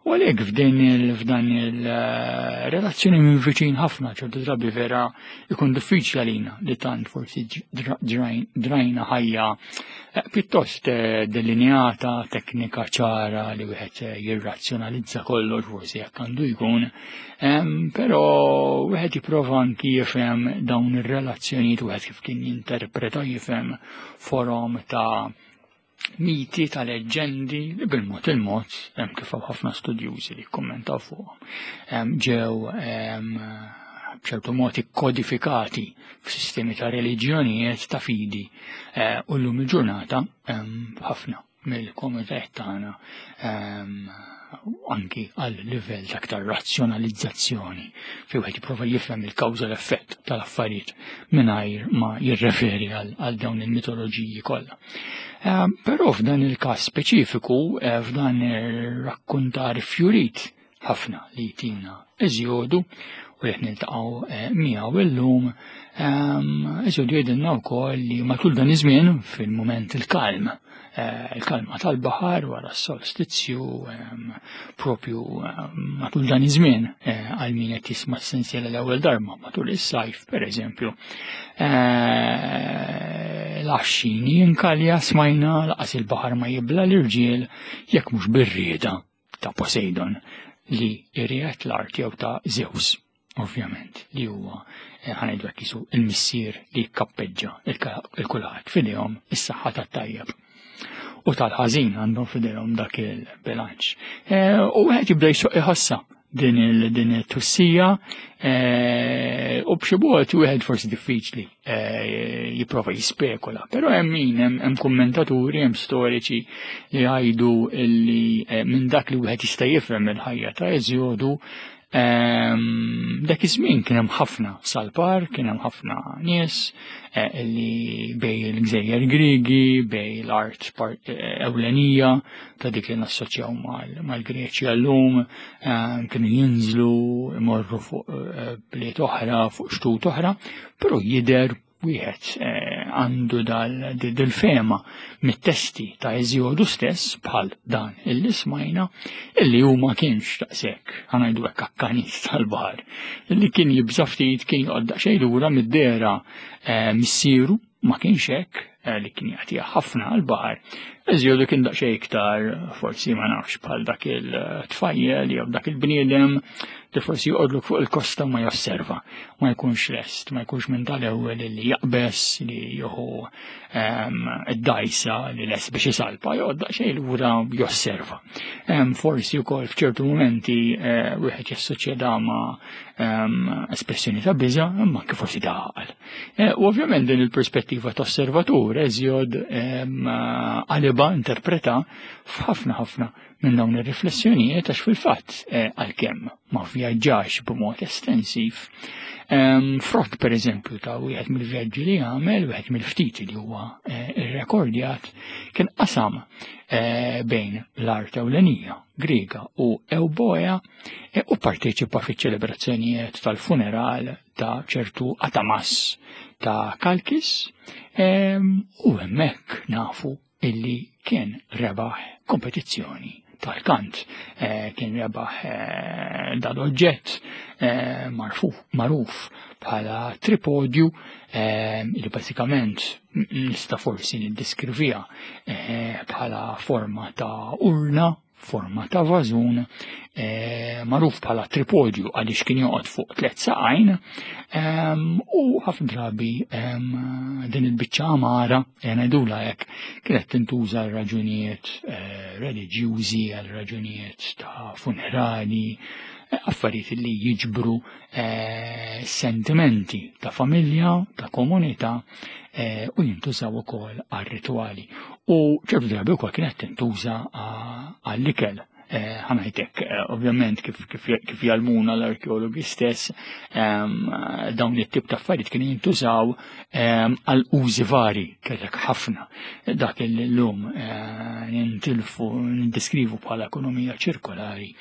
A: U għalhekk f'din f'dan il-relazzjoni minn viċin ħafna ċertu drabi vera ikun diffiċli għalina li tant forsi drajna ħajja eh, pjuttost eh, delineata, teknika ċara li wieħed eh, jirrazzjonalizza kollox forsi jekk għandu jkun, però wieħed jipprova anki jifhem dawn ir-relazzjonijiet wieħed kif kien jinterpreta jifhem forom ta' miti ta' leġġendi li bil-mod il-mod, hemm kif hawn ħafna studjużi li kkommentaw fuqhom, ġew b'ċertu mod ikkodifikati f'sistemi ta' reliġjonijiet ta' fidi eh, u llum il-ġurnata ħafna mill-komunitajiet tagħna anki għal livell ta' aktar razzjonalizzazzjoni fi wieħed jipprova jifhem il-kawża l-effett tal-affarijiet mingħajr ma jirreferi għal dawn il-mitoloġiji kollha. Ehm, però f'dan il-każ speċifiku, eh, f'dan ir-rakkuntar fjurit ħafna li jtina Eżjodu u li niltaqgħu eh, miegħu illum, ehm, Eżjodu jgħidilna wkoll li matul dan iż-żmien fil-mument il-kalm, eh, il-kalma tal-baħar wara s-solstizju ehm, propju ehm, matul dan iż-żmien eh, għal min qed jisma' s-sensiela l-ewwel darba matul is-sajf pereżempju. L-għaxxini jinkalja smajna laqas il-baħar ma jibla l-irġiel jekk mhux bir-rieda ta' Poseidon li jriegħed l-art jew ta' Zeus, ovvjament, li huwa eh, ħanajdu hekk isu il-missier li jkappeġġa il-kulħadd f'idejhom is-saħħa tat-tajjeb. U tal-ħażin għandhom f'idejhom dak il-bilanċ. Eh, u wieħed jibda jsuq iħossa din il-tussija eh, u b'xi mod wieħed forsi diffiċli eh, jipprova jispekula, però hemm min hemm kummentaturi, hemm storiċi li jgħidu li eh, minn dak li wieħed jista' jifhem il-ħajja ta' Eżjodu ehm, dak iż-żmien kien hemm ħafna salpar, kien hemm ħafna nies eh, li bej il-gżejjer Griegi, bej l-art ewlenija ta' dik li nassoċjaw mal-Greċja llum, ehm, kienu jinżlu, imorru fuq bliet oħra, fuq xtut oħra, però jidher Wieħed eh, għandu dal-fema mit-testi ta' Eżjodu stess bħal dan illi smajna illi hu ma kienx daqshekk ħanajdu hekk akkanit tal-baħar illi kien jibża' ftit kien joqgħod daqsxejn lura mid-dehra eh, missieru ma kienx hekk eh, li kien jagħtiha ħafna għall-baħar. Eżjodu kien daqsxejn iktar forsi ma nafx bħal dak il-tfajjel jew dak il-bniedem li forsi joqgħodlok fuq il-kosta ma josserva, ma jkunx lest, ma jkunx minn tal-ewwel li jaqbes li jieħu ehm, id-dajsa li lest biex isalpa, joqgħod daqsxejn lura josserva. Ehm, forsi wkoll f'ċertu mumenti eh, wieħed jassoċja ma' ehm, espressjoni ta' biża' imma kif forsi ta' għaqal. Eh, u ovvjament din il-perspettiva ta' osservatur eżjod għaliba interpreta f'ħafna ħafna minn dawn ir-riflessjonijiet għax fil-fatt eh, għalkemm ma vjaġġax b'mod estensiv. Frott per eżempju ta' wieħed mill-vjaġġi li għamel, wieħed mill-ftit li huwa eh, irrekordjat, kien qasam eh, bejn l-art ewlenija Griega u Ewboea u parteċipa fiċ-ċelebrazzjonijiet tal-funeral ta' ċertu Atamas ta' Kalkis u hemmhekk nafu illi kien rebaħ kompetizzjoni tal-kant, eh, kien rebaħ eh, dal-oġġett eh, magħruf bħala tripodju li bażikament nista' forsi niddeskrivija bħala forma ta' urna forma ta' vażun eh, magħruf bħala tripodju għaliex kien joqgħod fuq tliet saqajn ehm, u ħafna drabi ehm, din il-biċċa għamara eh, ngħidula hekk kienet tintuża għal raġunijiet eh, reliġjużi għal raġunijiet ta' funerali affarijiet li jiġbru sentimenti ta' familja, ta' komunità u jintużaw ukoll għal ritwali. U ċertu drabi wkoll kienet tintuża għall-ikel. Eh, ħanajtek, eh, ovvjament kif, kif, kif jalmuna l-arkeologi stess, ehm, dawn it-tip ta' affarijiet kienu jintużaw ehm, għal użi vari, kellek ħafna. Dak il-lum eh, nintilfu, nindiskrivu bħala ekonomija ċirkolari,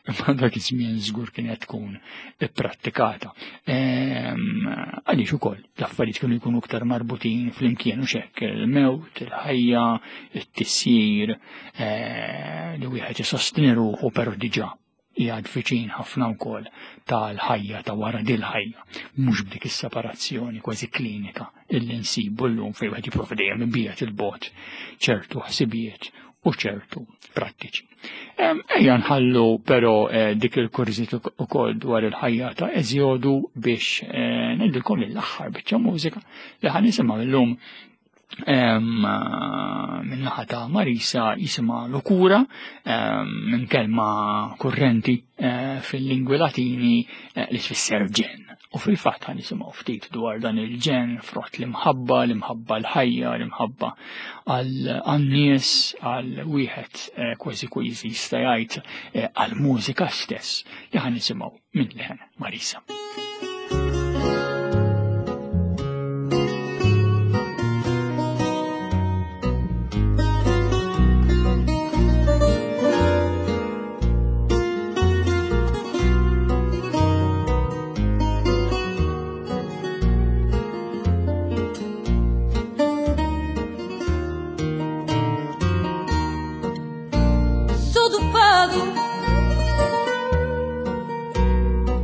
A: imma dak iż-żmien żgur kienet tkun ipprattikata. Ehm, għaliex ukoll l-affarijiet kienu jkunu iktar marbutin flimkien u xekk, il-mewt, il-ħajja, it-tisjir, eh, li wieħed isostni ruħu però diġà qiegħed viċin ħafna wkoll tal-ħajja ta' wara dil-ħajja, mhux b'dik is-separazzjoni kważi klinika illi nsibu llum fejn wieħed jipprova dejjem ibiegħed il-bogħod ċertu ħsibijiet u ċertu prattiċi. Ejja nħallu però eh, dik il-kurżit ukoll dwar il-ħajja ta' Eżjodu biex eh, ngħidilkom l-aħħar biċċa mużika li ħan nisimgħu llum min-naħa ta' Marisa jisimha Lokura minn kelma kurrenti eh, fil-lingwi Latini li tfisser ġen. U fil-fatt ħan nisimgħu ftit dwar dan il-ġen frott l-imħabba, l-imħabba l-ħajja, l-imħabba għal-nies, għal wieħed eh, kważi kważi jista' jgħid eh, għal-mużika stess li ħan nisimgħu minn leħen Marisa.
B: Sou do fado,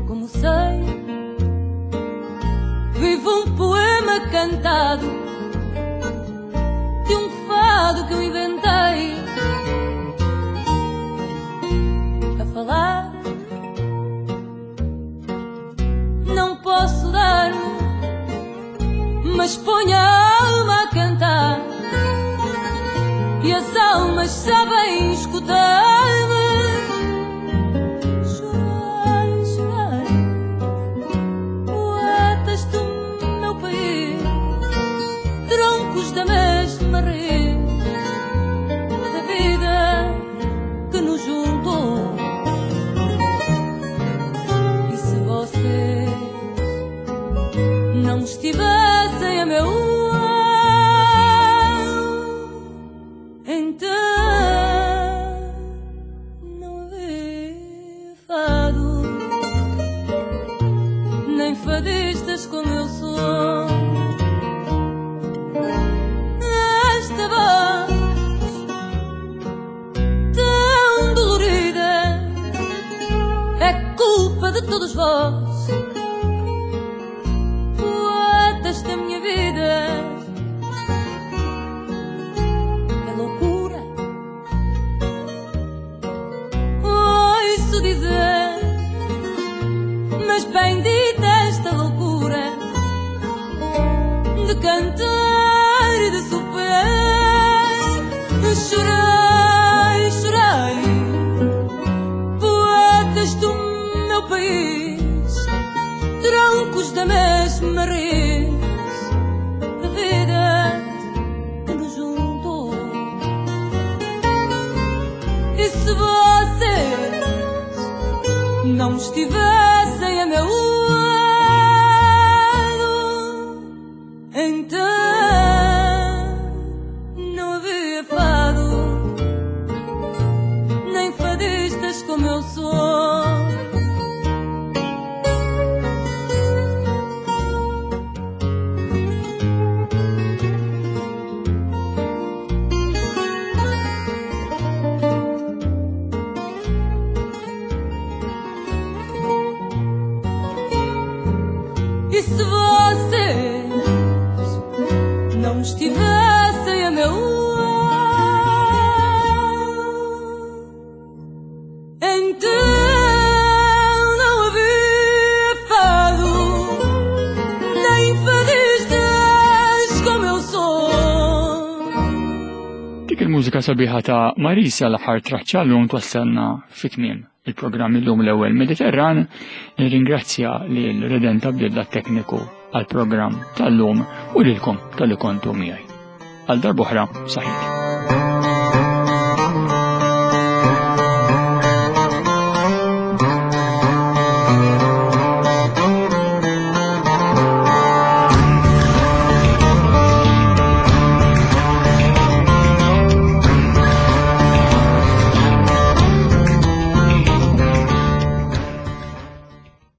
B: como sei, vivo um poema cantado de um fado que eu inventei. A falar, não posso dar-me, mas ponho a alma a cantar e as almas sabem escutar-me. Chorar, chorar, poetas do meu país, troncos da mesma raiz, da vida que nos juntou. E se vocês não estivessem a meu lado, então de todos vós, poetas da minha vida. É loucura ouço dizer, mas bendita esta loucura de cantar e de sofrer. Chorei, chorei, poetas do meu país, troncos da mesma raiz, da vida que nos juntou. E se vocês não estivessem a meu lado, então não havia fado, nem fadistas como eu sou. E se vocês não estivessem a meu lado, então não havia fado, nem fadistas como eu sou.
A: Dik il-mużika sabiħa ta' Marisa l-aħħar traċċa llum twassalna fit-tmiem il-programm illum l-ewwel Mediterran. Nirringrazzja lil Redenta Bdilla tekniku għall-programm tal-lum u lilkom tal-li kontu miegħi. Għal darb'oħra, saħħit.